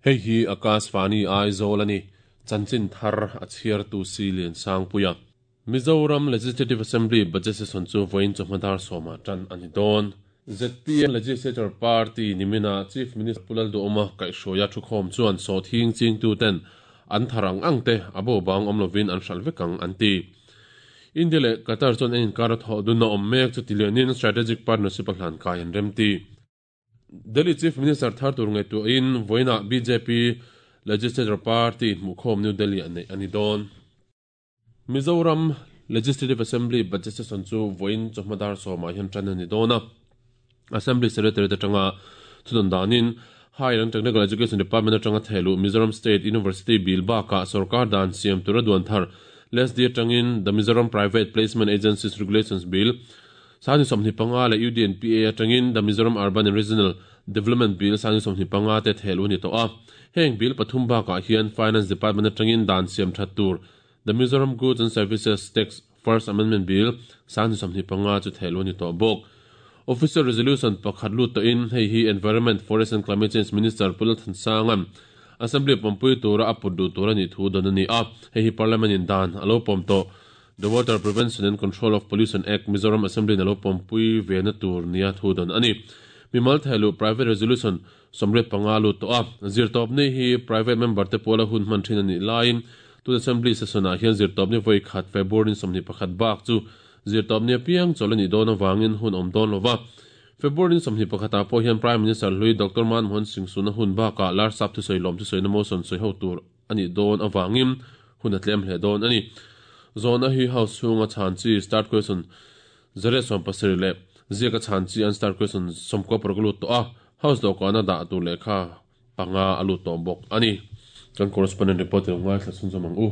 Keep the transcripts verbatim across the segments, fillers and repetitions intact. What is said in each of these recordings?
Hei hi Akashvani Aizawl ani chanchin thar a chhiar tu si lian sangpuia Mizoram Legislative Assembly budget session chu voin chawhmadar sawma tan ani dawn Z P M Legislature Party nimina Chief Minister Pulal Duhoma kaihhruaia thukhawm chuan sawhthing ching tu ten an tharang angte abo bang awmlovin an hral vekang an ti India le Qatar chuan en inkar a thawh dun a awm mek chu tilianin strategic partnership a hlan kai an rem ti Delhi Chief Minister thar tur ngai tu in voina B J P Legislature Party hmuhkhawm New Delhi an nei ani dawn Mizoram Legislative Assembly budget session chu voin chawhmadar sawma hian tan ani dawn a Assembly Secretary atanga thudun danin Higher and Technical Education Department atanga thelu Mizoram State University bill baka sarkar dan siam tura duan thar Les dia tangin the Mizoram Private Placement Agencies Regulations Bill sani somni panga le U D N P A atangin the Mizoram Urban and Regional Development Bill sani somni panga te thelu ni to a heng bill pathum ba ka hian Finance Department atangin dan siam thattur the Mizoram Goods and Services Tax First Amendment Bill sani somni panga chu thelu ni to bok Official Resolution pakhat lut to in hei hi Environment Forest and Climate Change Minister Pulal Thansangam Assembly pampui tura apudu tura ni thu don ani a hei hi Parliament in dan alo pom to The Water Prevention and Control of Pollution Act Mizoram Assembly na lo pampui ve na tur nia thu don ani mimal thelu private resolution somre panga lu to a zir top ni hi private member te pola hun man thin ani line tu assembly session a hian zir top ni voi khat February somni pakhat bak chu zir top ni piang cholani don awangin hun om don lova February somni pakhata po hian Prime Minister Hlui Doctor Manmohan Singh suna hun ba ka lar sap thu soi lom chu soi na motion soi ho tur ani don awangin hun atlem hle don ani zona hi house chunga chan chi start question zare som pasir le zia ka chan chi an start question somko proglu to a house do kana da tu le kha panga alu to bok ani kan correspondent report ngai thla sun zamang u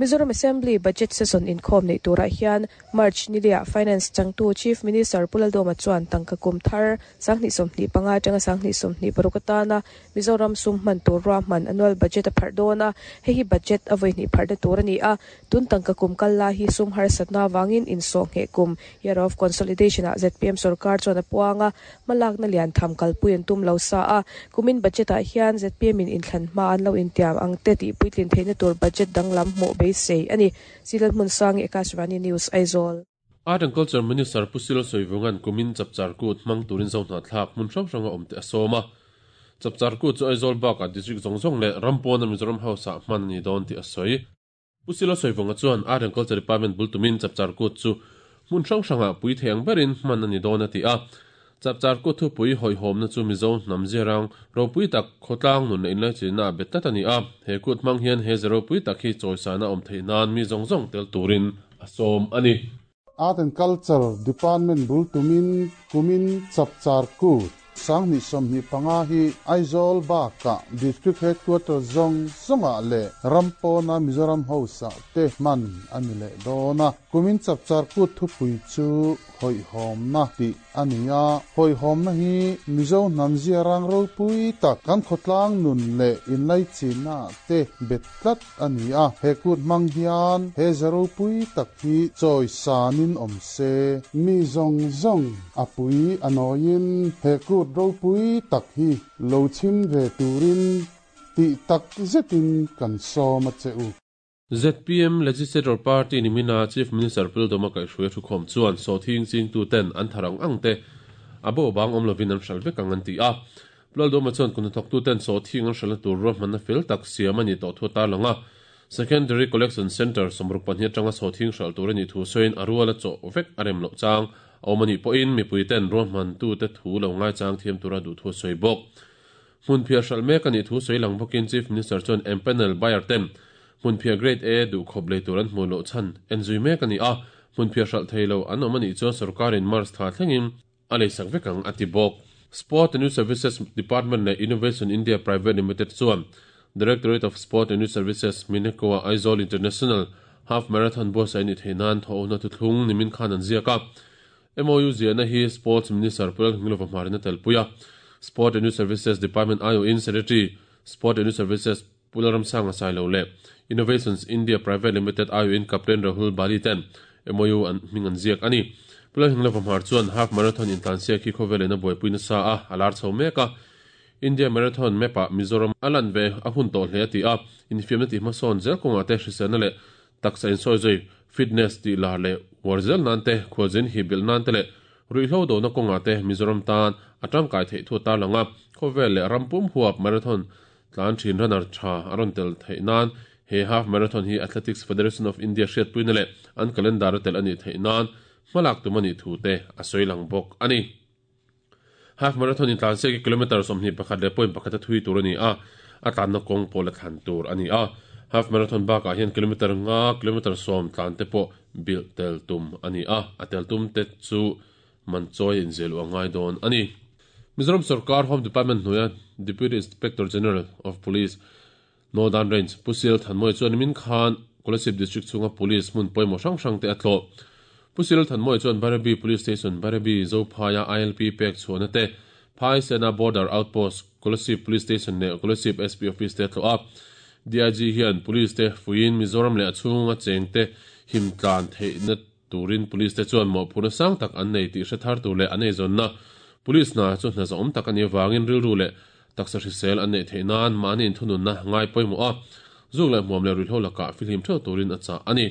Mizoram Assembly budget session in khom nei tura hian March nilia Finance changtu Chief Minister Pulal Duhoma chuan tangka kum thar sangni somni panga tanga sangni somni parukatana Mizoram sum man tur ra man annual budget a phardona hei hi budget avoi ni pharda tur ani a tun tangka kum kalla hi sum har satna wangin in so nge kum year of consolidation a Z P M sarkar chuan a puanga malak na lian tham kalpuin tum lo sa a kumin budget a hian Z P M in inthlan ma an lo intiam ang te ti puitlin theina tur budget danglam mu be sei ani silal mun sang Akashvani News Aizawl Art and Culture Minister Pusilo Soivungan kumin chapchar kut mang turin zona thlak mun hrang hranga omte asoma chapchar kut chu Aizawl bak a district zong zong le rampon Mizoram House a man ni don ti asoi Pusilo Soivunga chuan Art and Culture Department bultumin chapchar kut chu mun hrang hranga pui theng berin man ani don ati a chapchar kut thu pui hoi hom na chu Mizo nam zerang ropui tak khotlang nun in lai china betat ani a he kut mang hian he zero pui tak hi choisa na om theinan mi zong zong tel turin asom ani Art and Culture Department bultumin kumin chapchar kut sangni somni panga hi Aizawl baka district headquarter zong zonga le rampona Mizoram House te man ani le dona kumin chapchar kut thu pui chu hoi hom na ti ania hoi hom na hi Mizo namzia rang ro pui ta kan khotlang nun le in lai china te betlat ania he kut mang hian he zero pui tak hi choi sanin om se mi zong zong apui anoin he kut ro pui tak hi lo chim ve turin ti tak zetin kan soma cheu Z P M Legislature Party nimina Chief Minister Pulal Duhoma kai hruai thu khom chuan so thing ching tu ten an tharang angte abo bang om lovin an hral vek ang an ti a Pulal Duhoma chuan kun thok tu ten so thing an hral tur ro man fel tak siam ani to thu ta langa Secondary Collection Center somruk pahnih atanga so thing hral tur ani thu soin aruala chaw vek arem lo chang omani po in mi pui ten ro man tu te thu lo ngai chang thiam tura du thu soi bok mun phia hral mek ani thu soi lang bokin Chief Minister chuan empanel buyer ten mun phia grade A du khop le turan mu lo chan enzui mek ani a mun phia hral thailo an omani chuan sarkar in March tha thlengin alei sak vekang ati bok Sport and Youth Services Department le Innovation India Private Limited chuan Directorate of Sport and Youth Services Minekoa Aizawl International Half Marathon bo sai ni theinan tho na thu thlung nimin khan an ziaka M O U ziana hi Sports Minister Pulal Ngilova Marina Telpuya Sport and Youth Services Department I O in Secretary Sport and Youth Services Pularam Sanga Sailo le Innovations India Private Limited I O in Captain Rahul Bali ten M O U an mingan ziak ani Pulal Ngilova Mar chuan half marathon in tansia ki khovel na boy puina sa a alar chho meka India Marathon map-ah Mizoram a lan ve a hun tawh hle a ti a, infiamna tih hmasawn zel kawngah te hriselna leh taksa insawi zui fitness tih lar leh uar zel nan te, khualzin hi belh nan te leh ruihhlo dona kawngah te Mizoram tan a tangkai theih thu a tarlang a, khawvel leh ram pum huap marathon tlan thin runner tha a rawn tel theih nan he half marathon hi Athletics Federation of India hriatpuina leh an calendar a tel a nih theih nan hmalak tum a nih thu te a sawi lang bawk a ni. Half marathon in tlan siak hi kilometre sawmhnih pakhat leh point pakhat a thui tur a ni a, a tlanna kawng pawh la thlan tur a ni a. Half marathon bakah hian kilometre nga, kilometre sawm tlan te pawh bilh tel tum a ni a, a tel tum te chu man chawi a inziah luh a ngai dawn a ni. Mizoram Sorkar Home Department hnuaia Deputy Inspector General of Police, Northern Range, Pu Sil Thanmawia chuan nimin khan Kolasib District chhunga Police hmun pawimawh hrang hrang te a tlawh. Pu Sil Thanmawia chuan Bairabi Police Station, Bairabi, Zophaia I L P pek chhuahna te, Phai Sena Border Outpost, Kolasib Police Station leh Kolasib S P Office te a tlawh a. D I G hian Police te fuiin Mizoram leh a chhunga cheng te him tlan theihna turin Police te chuan mawhphurhna sang tak an nei tih hre thar tur leh an eizawnna Police hna chu hna zawm tak a nih avangin rilru leh taksa hrisel an neih theih nan mahni inthununna ngai pawimawh a, zuk leh hmuam leh ruihhlo lakah fihlim theuh turin a chah a ni.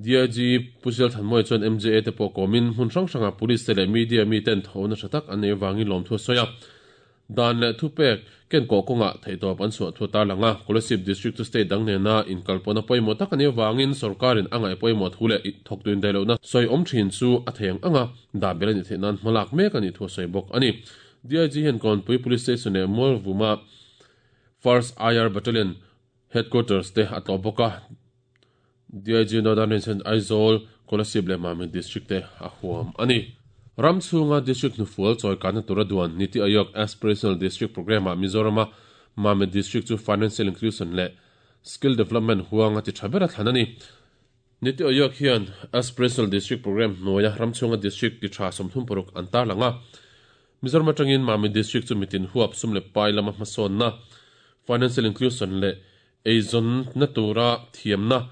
D I G Pu Zel Thanmawia chuan M J A te pawh kawmin hmun hrang hrangah Police te leh media miten thawhna tha tak an neih avangin lawmthu a sawi a. Dan leh thupek ken kawh kawngah theihtawp an chhuah thu a tarlang a, Kolasib District chu state dang nena inkalpawhna pawimawh tak a nih avangin sorkarin a ngaih pawimawh thu leh thawktu indaihlohna sawi awm thin chu a thei ang ang a, dah belh a nih theih nan hmalak mek a nih thu a sawi bawk a ni. D I G hian Kawnpui Police Station leh Mualvuma First I R Battalion Headquarters te a tlawh bawk a, D I G Northern Range hian Aizawl, Kolasib leh Mamit District te a huam a ni. Ram chhunga District hnufual chawikanna tura duan Niti Aayog Aspirational District Programme-ah Mizorama Mamit District chu Financial Inclusion leh Skill Development huanga ti tha ber a thlan a ni. Niti Aayog hian Aspirational District Programme hnuaia ram chhunga District ti tha sawmthum paruk an tarlang a. Mizoram atangin Mamit District chu mitin huap sum leh pai lama hmasawnna, Financial Inclusion leh eizawnna tura thiamna,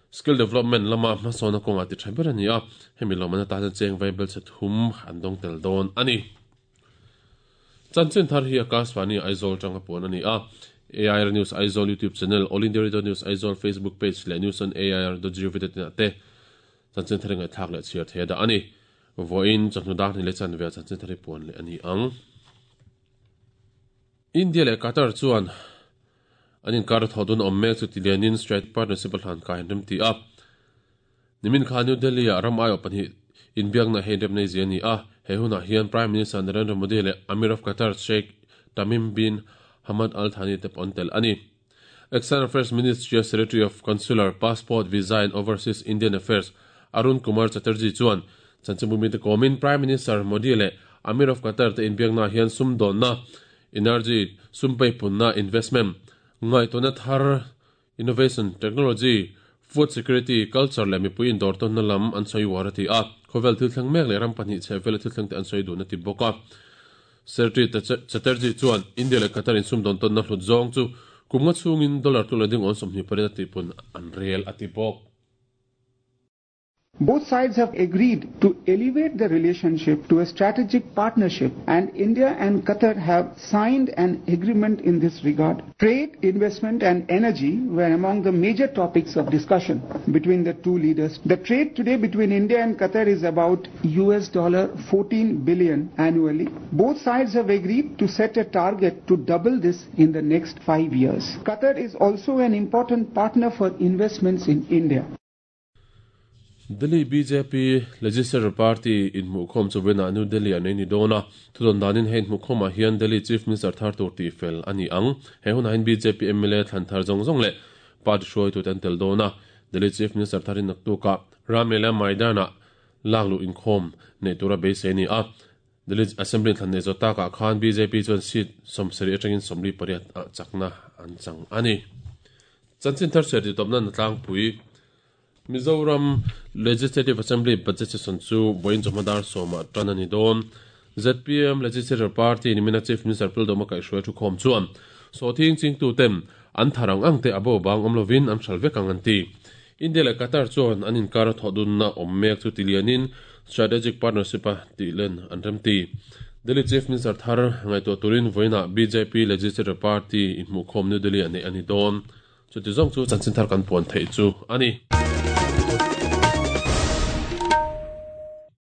Skill Development lama hmasawnna kawngah ti tha ber a ni a, hemi lawmna tan cheng vaibel che thum an dawng tel dawn a ni. Chanchin thar hi Akashvani Aizawl tanga puan a ni a, A I R News Aizawl YouTube channel, All India Radio News Aizawl Facebook page leh News on A I R dot gov dot in ah te chanchin thar ngaih thlak leh chhiar thei a dah a ni. Vawiin chawhnu dar ni leh chan ve chanchin thar hi puan leh a ni ang. India leh Qatar chuan an inkar thawh dun awm mek chu tilianin Strategic Partnership a hlan kai an rem ti a. Nimin kha New Delhi ah ram aiawh pahnih inbiakna hei rem nei zia a ni a. He hunah hian Prime Minister Narendra Modi leh Amir of Qatar Sheikh Tamim bin Hamad Al Thani te pawh an tel a ni. External Affairs Ministry Secretary of Consular, Passport, Visa and Overseas Indian Affairs Arun Kumar Chatterjee chuan chanchinbumi te kawmin Prime Minister Modi leh Amir of Qatar te inbiakna hian sum dawnna, energy, sum peipunna, investment, ngaihtuahna thar, innovation, technology, food security, culture leh mipui indawr tawnna lam an sawi uar a ti a. Khawvel thil thleng mek leh ram pahnih chheh vela thil thleng te an sawi dun a ti bawk a. Secretary Chatterjee chuan India leh Qatar in sum dawn tawnna hlut zawng chu kum nga chhungin dollar tluk leh ding awn sawmhnih pariat a tihpun an rel a ti bawk. Both sides have agreed to elevate the relationship to a strategic partnership, and India and Qatar have signed an agreement in this regard. Trade, investment and energy were among the major topics of discussion between the two leaders. The trade today between India and Qatar is about U S dollar fourteen billion annually. Both sides have agreed to set a target to double this in the next five years. Qatar is also an important partner for investments in India. Delhi B J P Legislature Party in Mukhom chu vena New Delhi an nei dona thudon danin hein Mukhom a hian Delhi Chief Minister thar tur ti fel ani ang he hun hein B J P M L A thlan thar zong zong le party hruai tu ten tel dona Delhi Chief Minister tharin naktuka Ramlela Maidana laglu inkhom nei tura be se ni a Delhi Assembly thlan nei zota ka khan B J P chuan seat somsari atangin somli pariat a chakna an chang ani chanchin thar ser ti topna natlang pui Mizoram Legislative Assembly budget session chu voin jomadar soma tanani don Z P M Legislative Party ni mina Chief Minister Pildoma kai hruai thu khom chuan so thing ching tu tem an tharang ang te abo bang omlovin an thalve kang an ti India le Qatar chuan an inkar thodun na om mek chu tilianin strategic partnership a tilen an rem ti Delhi Chief Minister thar ngaihtuah turin vawiinah BJP Legislature Party inhmuhkhawm New Delhi ah neih a ni dawn. Chuti zawng chu chanchin thar kan puan theih chu a ni.